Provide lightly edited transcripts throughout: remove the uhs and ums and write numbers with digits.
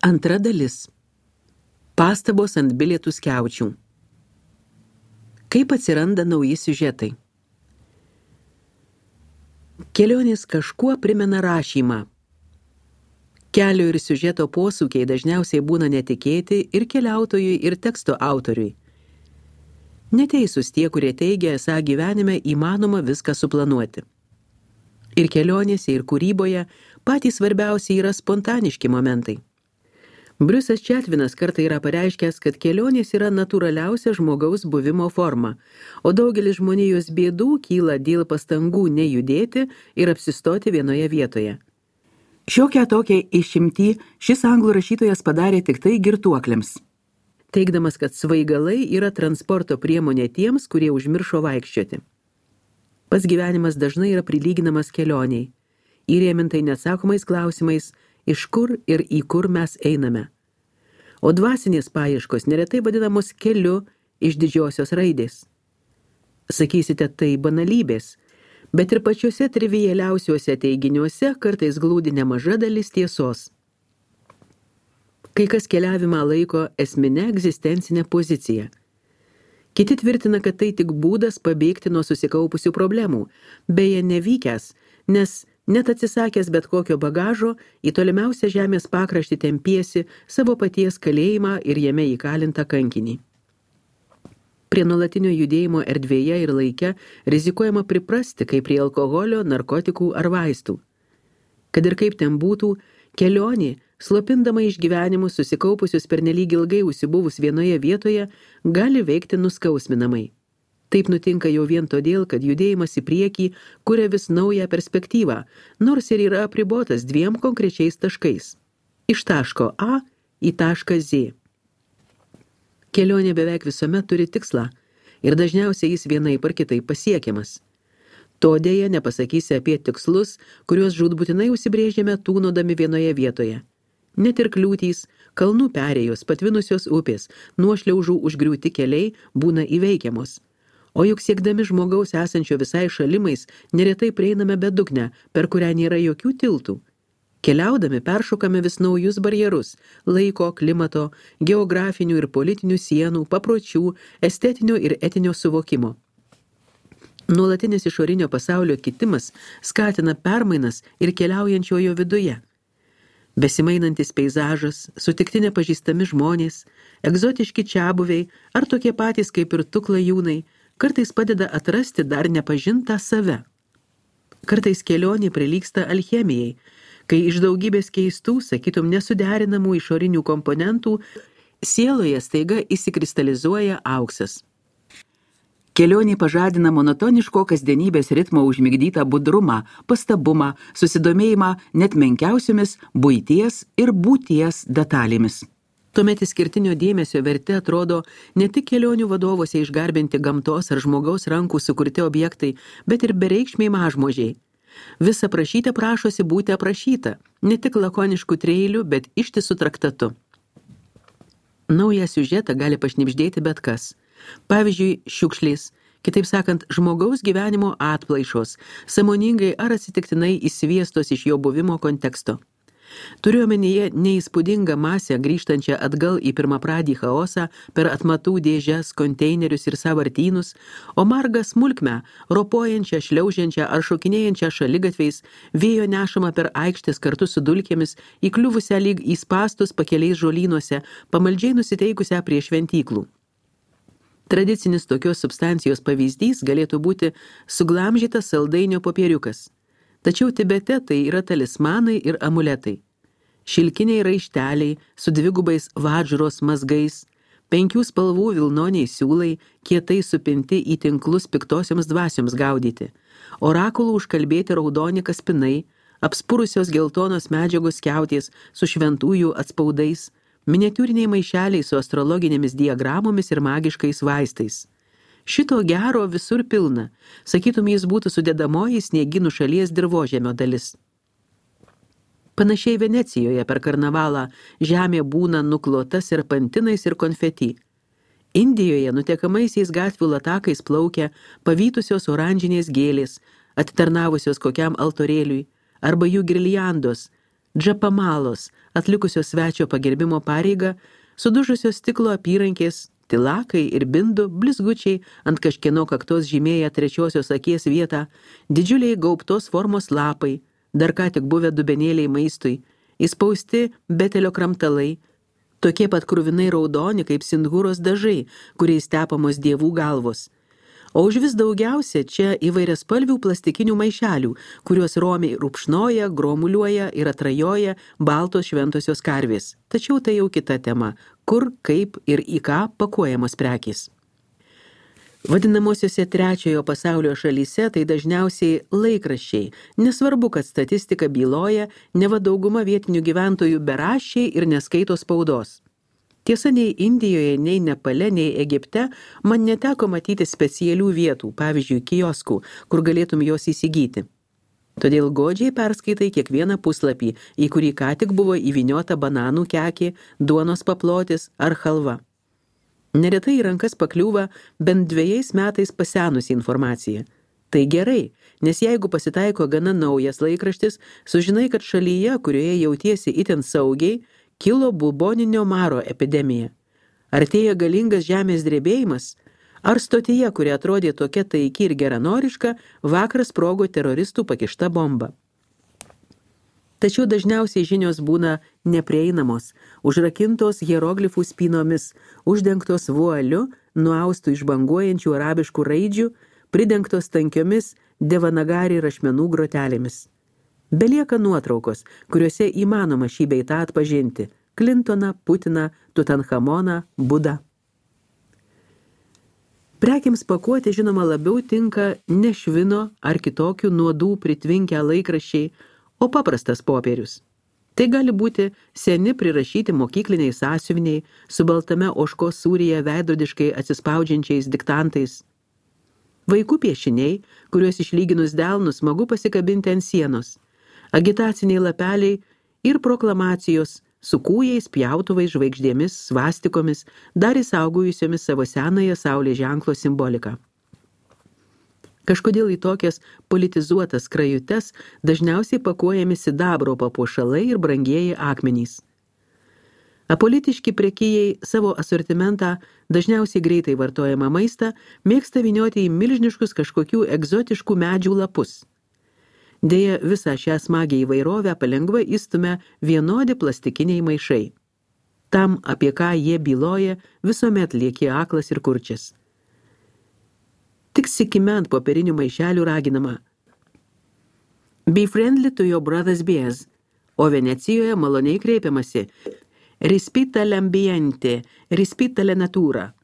Antra dalis. Pastabos ant bilietų skiaučių. Kaip atsiranda nauji siužetai? Kelionės kažkuo primena rašymą. Kelio ir siužeto posūkiai dažniausiai būna netikėti ir keliautojui, ir teksto autoriui. Neteisūs tie, kurie teigia, esą gyvenime įmanoma viską suplanuoti. Ir kelionėse, ir kūryboje patys svarbiausiai yra spontaniški momentai. Briusas Četvinas kartą yra pareiškęs, kad kelionės yra natūraliausia žmogaus buvimo forma, o daugelis žmonijos bėdų kyla dėl pastangų nejudėti ir apsistoti vienoje vietoje. Šiokią tokią išimtį šis anglų rašytojas padarė tik tai girtuokliams, teigdamas, kad svaigalai yra transporto priemonė tiems, kurie užmiršo vaikščioti. Pats gyvenimas dažnai yra prilyginamas kelioniai, įrėmintai neatsakomais klausimais, iš kur ir į kur mes einame. O dvasinės paieškos neretai vadinamos keliu iš didžiosios raidės. Sakysite, tai banalybės, bet ir pačiuose trivialiausiuose teiginiuose kartais glūdi nemaža dalis tiesos. Kai kas keliavimą laiko esminę egzistencinę poziciją. Kiti tvirtina, kad tai tik būdas pabėgti nuo susikaupusių problemų, beje nevykęs, nes net atsisakęs bet kokio bagažo, į tolimiausią žemės pakraštį tempiesi savo paties kalėjimą ir jame įkalintą kankinį. Prie nuolatinio judėjimo erdvėje ir laike rizikuojama priprasti kaip prie alkoholio, narkotikų ar vaistų. Kad ir kaip ten būtų, kelionė, slopindama išgyvenimus susikaupusius pernelyg ilgai užsibuvus vienoje vietoje, gali veikti nuskausminamai. Taip nutinka jau vien todėl, kad judėjimas į priekį kuria vis naują perspektyvą, nors ir yra apribotas dviem konkrečiais taškais. Iš taško A į tašką Z. Kelionė beveik visuomet turi tikslą ir dažniausiai jis vienaip ar kitaip pasiekiamas. To dėja nepasakysi apie tikslus, kuriuos žūtbūtinai užsibrėžėme tūnodami vienoje vietoje. Net ir kliūtys, kalnų perėjos, patvinusios upės, nuošliaužų užgriūti keliai būna įveikiamos. O juk siekdami žmogaus esančio visai šalimais, neretai prieiname bedugnę, per kurią nėra jokių tiltų. Keliaudami peršokame vis naujus barjerus – laiko, klimato, geografinių ir politinių sienų, papročių, estetinio ir etinio suvokimo. Nuolatinis išorinio pasaulio kitimas skatina permainas ir keliaujančiojo viduje. Besimainantis peizažas, sutikti nepažįstami žmonės, egzotiški čiabuviai ar tokie patys kaip ir tu klajūnai – kartais padeda atrasti dar nepažintą save. Kartais kelionė prilygsta alchemijai, kai iš daugybės keistų, sakytum nesuderinamų išorinių komponentų, sieloje staiga įsikristalizuoja auksas. Kelionė pažadina monotoniško kasdienybės ritmo užmigdytą budrumą, pastabumą, susidomėjimą net menkiausiomis buities ir būties detalėmis. Tuomet išskirtinio dėmesio vertė atrodo ne tik kelionių vadovose išgarbinti gamtos ar žmogaus rankų sukurti objektai, bet ir bereikšmiai mažmožiai. Visa prašytė prašosi būti aprašyta, ne tik lakoniškų treilių, bet ištisų traktatu. Naują siužetą gali pašnibždėti bet kas. Pavyzdžiui, šiukšlės, kitaip sakant, žmogaus gyvenimo atplaišos, sąmoningai ar atsitiktinai įsviestos iš jo buvimo konteksto. Turiu omenyje neįspūdingą masę grįžtančią atgal į pirmapradį chaosą per atmatų dėžes, konteinerius ir sąvartynus, o margą smulkmę, ropojančią, šliaužiančią ar šokinėjančią šaligatviais, vėjo nešamą per aikštės kartu su dulkėmis, įkliuvusią lyg į spastus pakeliais žolynuose, pamaldžiai nusiteikusią prie šventyklų. Tradicinis tokios substancijos pavyzdys galėtų būti suglamžytas saldainio popieriukas. Tačiau Tibete tai yra talismanai ir amuletai. Šilkiniai raišteliai su dvigubais vadžros mazgais, 5 spalvų vilnoniai siūlai, kietai supinti į tinklus piktosioms dvasioms gaudyti, orakulų užkalbėti raudoni kaspinai, apspurusios geltonos medžiagos skiautės su šventųjų atspaudais, miniatiūriniai maišeliai su astrologinėmis diagramomis ir magiškais vaistais. Šito gero visur pilna, sakytum jis būtų sudedamoji sniegynų šalies dirvožemio dalis. Panašiai Venecijoje per karnavalą žemė būna nuklota serpantinais ir konfeti. Indijoje nutekamaisiais gatvių latakais plaukia pavytusios oranžinės gėlės, atitarnavusios kokiam altorėliui, arba jų girliandos, džapamalos, atlikusios svečio pagerbimo pareigą, sudužusios stiklo apyrankės, tilakai ir bindų, blizgučiai ant kažkieno kaktos žymėję trečiosios akies vietą, didžiuliai gaubtos formos lapai, dar ką tik buvę dubenėliai maistui, įspausti betelio kramtalai, tokie pat kruvinai raudoni kaip sindhūros dažai, kuriais tepamos dievų galvos. O už vis daugiausia čia įvairiaspalvių plastikinių maišelių, kuriuos romiai rupšnoja, gromuliuoja ir atrajoja baltos šventosios karvės. Tačiau tai jau kita tema, kur, kaip ir į ką pakuojamos prekės. Vadinamosiuose trečiojo pasaulio šalyse tai dažniausiai laikraščiai, nesvarbu, kad statistika byloja, neva dauguma vietinių gyventojų beraščiai ir neskaito spaudos. Tiesa, nei Indijoje, nei Nepale, nei Egipte man neteko matyti specialių vietų, pavyzdžiui, kioskų, kur galėtum jos įsigyti. Todėl godžiai perskaitai kiekvieną puslapį, į kurį ką tik buvo įvyniota bananų kekė, duonos paplotis ar halva. Neretai į rankas pakliūva bent 2 metais pasenusi informacija. Tai gerai, nes jeigu pasitaiko gana naujas laikraštis, sužinai, kad šalyje, kurioje jautiesi itin saugiai, kilo buboninio maro epidemija. Artėja galingas žemės drebėjimas, ar stotyje, kuri atrodė tokia taiki ir geranoriška, vakar sprogo teroristų pakišta bomba. Tačiau dažniausiai žinios būna neprieinamos, užrakintos hieroglifų spynomis, uždengtos vualiu, nuaustų iš banguojančių arabiškų raidžių, pridengtos tankiomis devanagari rašmenų grotelėmis. Belieka nuotraukos, kuriuose įmanoma šį bei tą atpažinti – Clintoną, Putiną, Tutanchamoną, Budą. Prekiams pakuoti žinoma labiau tinka ne švino ar kitokių nuodų pritvinkę laikraščiai, o paprastas popierius. Tai gali būti seni prirašyti mokykliniai sąsiuviniai su baltame ožkos sūryje veidrodiškai atsispaudžiančiais diktantais. Vaikų piešiniai, kuriuos išlyginus delnus smagu pasikabinti ant sienos. Agitaciniai lapeliai ir proklamacijos su kūjais, pjautuvais, žvaigždėmis, svastikomis, dar įsaugojusiomis savo senąją saulės ženklo simboliką. Kažkodėl į tokias politizuotas skrajutes dažniausiai pakuojami sidabro papuošalai ir brangieji akmenys. Apolitiški prekėjai savo asortimentą, dažniausiai greitai vartojamą maistą, mėgsta vynioti į milžiniškus kažkokių egzotiškų medžių lapus. Deja, visą šią smagią įvairovę palengva įstumia vienodi plastikiniai maišai. Tam, apie ką jie byloja, visuomet lieki aklas ir kurčias. Tik sikime ant popierinių maišelių raginama Be friendly to your brother's beers, o Venecijoje maloniai kreipiamasi Rispita l'ambiente, rispita la natura.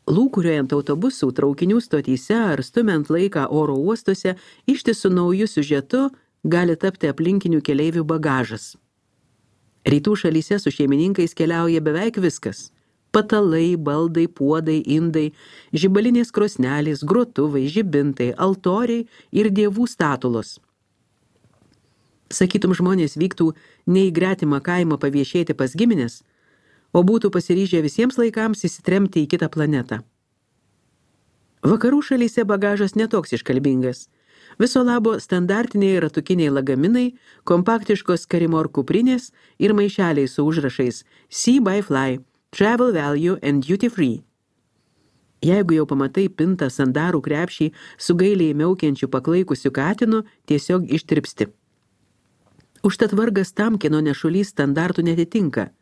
Lūkuriuojant autobusų, traukinių stotyse ar stumiant laiką oro uostuose, ištisų naujų siužetų gali tapti aplinkinių keleivių bagažas. Rytų šalyse su šeimininkais keliauja beveik viskas. Patalai, baldai, puodai, indai, žibalinės krosnelės, grotuvai, žibintai, altoriai ir dievų statulos. Sakytum, žmonės vyktų ne į gretimą kaimą paviešėti pas giminės, o būtų pasiryžę visiems laikams įsitremti į kitą planetą. Vakarų šalyse bagažas netoks iškalbingas. Viso labo standartiniai ratukiniai lagaminai, kompaktiškos karimor kuprinės ir maišeliai su užrašais See by Fly, Travel Value and Duty Free. Jeigu jau pamatai pintą sandarų krepšį su gailiai miaukiančiu paklaikusiu katinu, tiesiog ištirpsti. Užtat vargas tam, kieno nešulys standartų netitinka.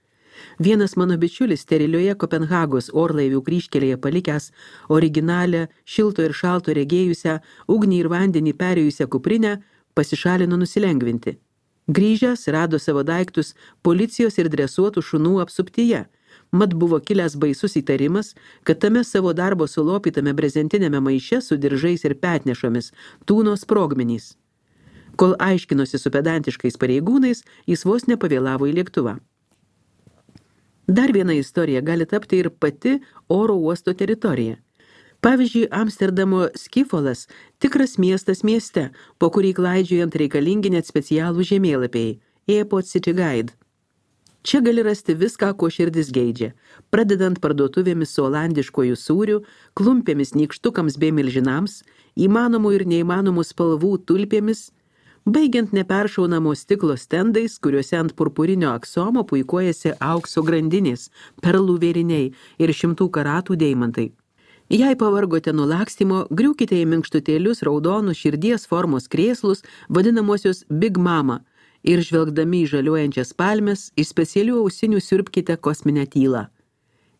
Vienas mano bičiulis sterilioje Kopenhagos orlaivių kryžkelėje palikęs originalią, šilto ir šalto regėjusią, ugnį ir vandenį perėjusią kuprinę, pasišalino nusilengvinti. Grįžęs rado savo daiktus policijos ir dresuotų šunų apsuptyje. Mat buvo kilęs baisus įtarimas, kad tame savo darbo sulopytame brezentinėme maiše su diržais ir petnešomis tūno sprogmenys. Kol aiškinosi su pedantiškais pareigūnais, jis vos nepavėlavo į lėktuvą. Dar viena istorija gali tapti ir pati oro uosto teritorija. Pavyzdžiui, Amsterdamo Skifolas tikras miestas mieste, po kurį klaidžiojant reikalingi net specialų žemėlapiai – Airport City Guide. Čia gali rasti viską, ko širdis geidžia, pradedant parduotuvėmis su olandiškojų sūriu, klumpėmis nykštukams bei milžinams, įmanomų ir neįmanomų spalvų tulpėmis, baigiant neperšaunamo stiklo stendais, kuriuose ant purpurinio aksomo puikuojasi aukso grandinės, perlų vėriniai ir 100 karatų deimantai. Jei pavargote nuo lakstymo, griūkite į minkštutėlius raudonus širdies formos krėslus, vadinamosios Big Mama, ir žvelgdami į žaliuojančias palmes, iš specialių ausinių siurbkite kosminę tylą.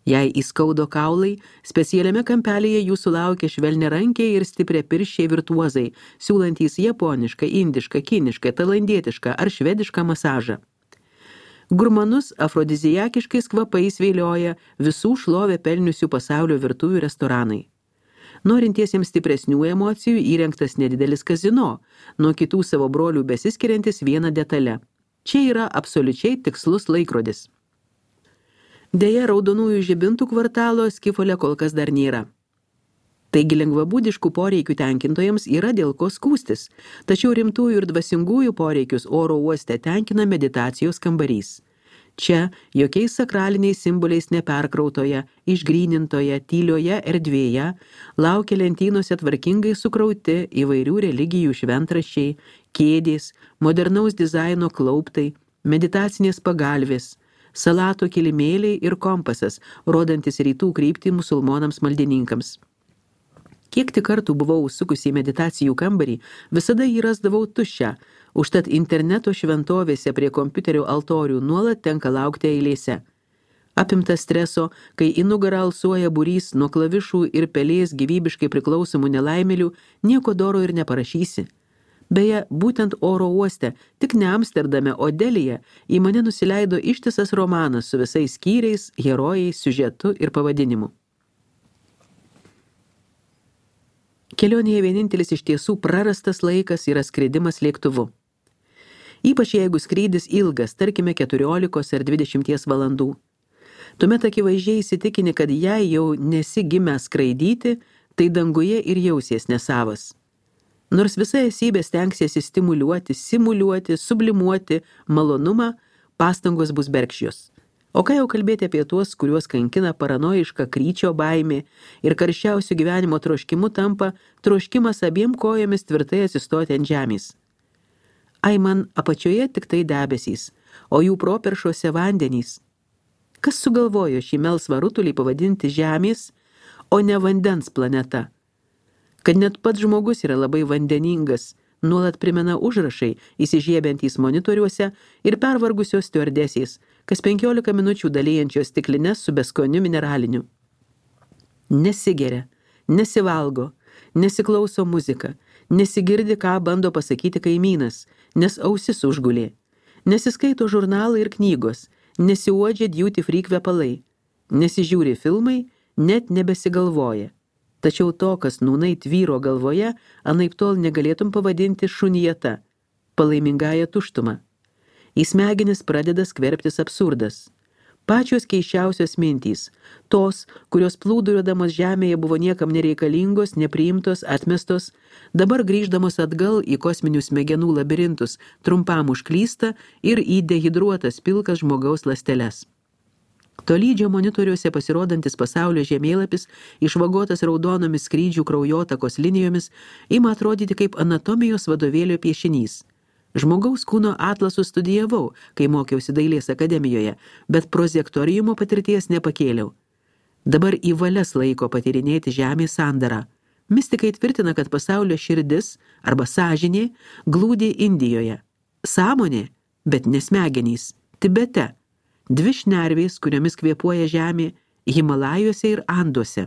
Jei įskaudo kaulai, specialiame kampelėje jūsų laukia švelniarankiai ir stipriapirščiai virtuozai, siūlantys japonišką, indišką, kinišką, tailandietišką ar švedišką masažą. Gurmanus afrodiziakiškais kvapais vėlioja visų šlovę pelniusių pasaulio virtuvių restoranai. Norintiesiems stipresnių emocijų įrengtas nedidelis kazino, nuo kitų savo brolių besiskiriantis viena detale. Čia yra absoliučiai tikslus laikrodis. Deja, raudonųjų žibintų kvartalo Skifole kol kas dar nėra. Taigi lengvabūdiškų poreikių tenkintojams yra dėl ko skųstis, tačiau rimtųjų ir dvasingųjų poreikius oro uoste tenkina meditacijos kambarys. Čia jokiais sakraliniais simboliais neperkrautoje, išgrynintoje, tylioje erdvėje laukia lentynose tvarkingai sukrauti įvairių religijų šventraščiai, kėdės, modernaus dizaino klauptai, meditacinės pagalvės, salato kilimėliai ir kompasas, rodantis rytų kryptį musulmonams maldininkams. Kiek tik kartų buvau užsukusi į meditacijų kambarį, visada jį rasdavau tuščią, užtat interneto šventovėse prie kompiuterio altorių nuolat tenka laukti eilėse. Apimtas streso, kai į nugarą alsuoja būrys nuo klavišų ir pelės gyvybiškai priklausomų nelaimėlių, nieko doro ir neparašysi. Beje, būtent oro uoste, tik ne Amsterdame, o Delyje, į mane nusileido ištisas romanas su visais skyriais, herojais, siužetu ir pavadinimu. Kelionėje vienintelis iš tiesų prarastas laikas yra skridimas lėktuvu. Ypač jeigu skrydis ilgas, tarkime 14 ar 20 valandų. Tuomet akivaizdžiai įsitikini, kad jei jau nesi gimęs skraidyti, tai danguje ir jausies nesavas. Nors visa esybė stengsiesi stimuliuoti, simuliuoti, sublimuoti malonumą, pastangos bus bergždžios. O ką jau kalbėti apie tuos, kuriuos kankina paranojiška kryčio baimė ir karščiausių gyvenimo troškimu tampa troškimas abiem kojomis tvirtai atsistoti ant žemės. Ai man apačioje tik tai debesys, o jų properšuose vandenys. Kas sugalvojo šį melsvą rutulį pavadinti žemės, o ne vandens planeta? Kad net pats žmogus yra labai vandeningas, nuolat primena užrašai, įsižiebiantys monitoriuose ir pervargusios stiuardesės, kas 15 minučių dalyjančios stiklines su beskoniu mineraliniu. Nesigeria, nesivalgo, nesiklauso muziką, nesigirdi, ką bando pasakyti kaimynas, nes ausis užgulė, nesiskaito žurnalai ir knygos, nesiuodžia duty free kvepalai, nesižiūri filmai, net nebesigalvoja. Tačiau to, kas nūnai tvyro galvoje, anaiptol negalėtum pavadinti šunijata, palaimingąją tuštumą. Į smegenis pradeda skverbtis absurdas. Pačios keisčiausios mintys, tos, kurios plūduriuodamos žemėje buvo niekam nereikalingos, nepriimtos, atmestos, dabar grįždamos atgal į kosminius smegenų labirintus, trumpam užklysta ir į dehidruotas pilkas žmogaus ląsteles. Tolydžio monitoriuose pasirodantis pasaulio žemėlapis, išvagotas raudonomis skrydžių kraujotakos linijomis, ima atrodyti kaip anatomijos vadovėlio piešinys. Žmogaus kūno atlasų studijavau, kai mokiausi dailės akademijoje, bet prozektoriumo patirties nepakėliau. Dabar į valias laiko patyrinėti žemės sandarą. Mistikai tvirtina, kad pasaulio širdis arba sąžinė glūdi Indijoje. Sąmonė, bet nesmegenys, Tibete. 2 šnervės, kuriomis kvėpuoja žemė, Himalajuose ir Anduose.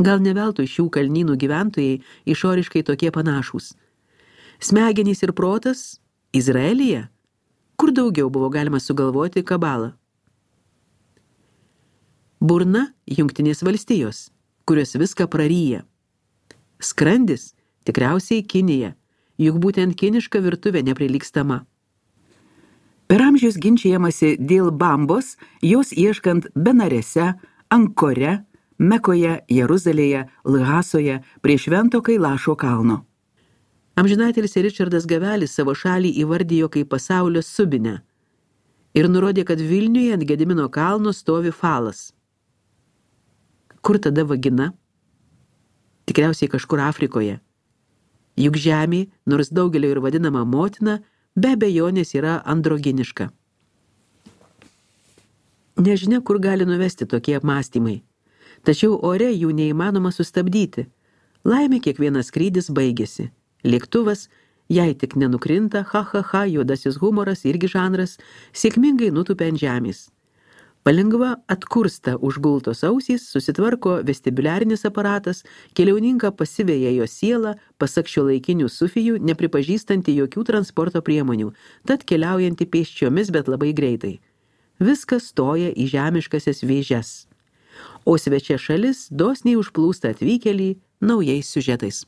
Gal ne veltui šių kalnynų gyventojai išoriškai tokie panašūs. Smegenys ir protas Izraelyje? Kur daugiau buvo galima sugalvoti kabalą? Burna Jungtinės valstijos, kurios viską praryja. Skrandis tikriausiai Kinija, juk būtent kiniška virtuvė neprilygstama. Per amžius ginčijamasi dėl bambos, jos ieškant Benarese, Ankore, Mekoje, Jeruzalėje, Lhasoje, prie Švento Kailašo kalno. Amžinatelis Ričardas Gavelis savo šalį įvardijo kaip pasaulio subinę ir nurodė, kad Vilniuje ant Gedimino kalno stovi falas. Kur tada vagina? Tikriausiai kažkur Afrikoje. Juk žemė, nors daugelio ir vadinama motina, be abejonės yra androginiška. Nežinia, kur gali nuvesti tokie apmąstymai. Tačiau ore jų neįmanoma sustabdyti. Laimė kiekvienas skrydis baigėsi. Lėktuvas, jei tik nenukrinta, juodasis humoras irgi žanras, sėkmingai nutupia ant žemės. Palengva atkursta užgultos ausys, susitvarko vestibuliarinis aparatas, keliauninką pasiveja jo sielą, pasak šiuolaikinių sufijų, nepripažįstanti jokių transporto priemonių, tad keliaujanti pėsčiomis, bet labai greitai. Viskas stoja į žemiškasias vėžes. O svečia šalis dosniai užplūsta atvykėlį naujais siužetais.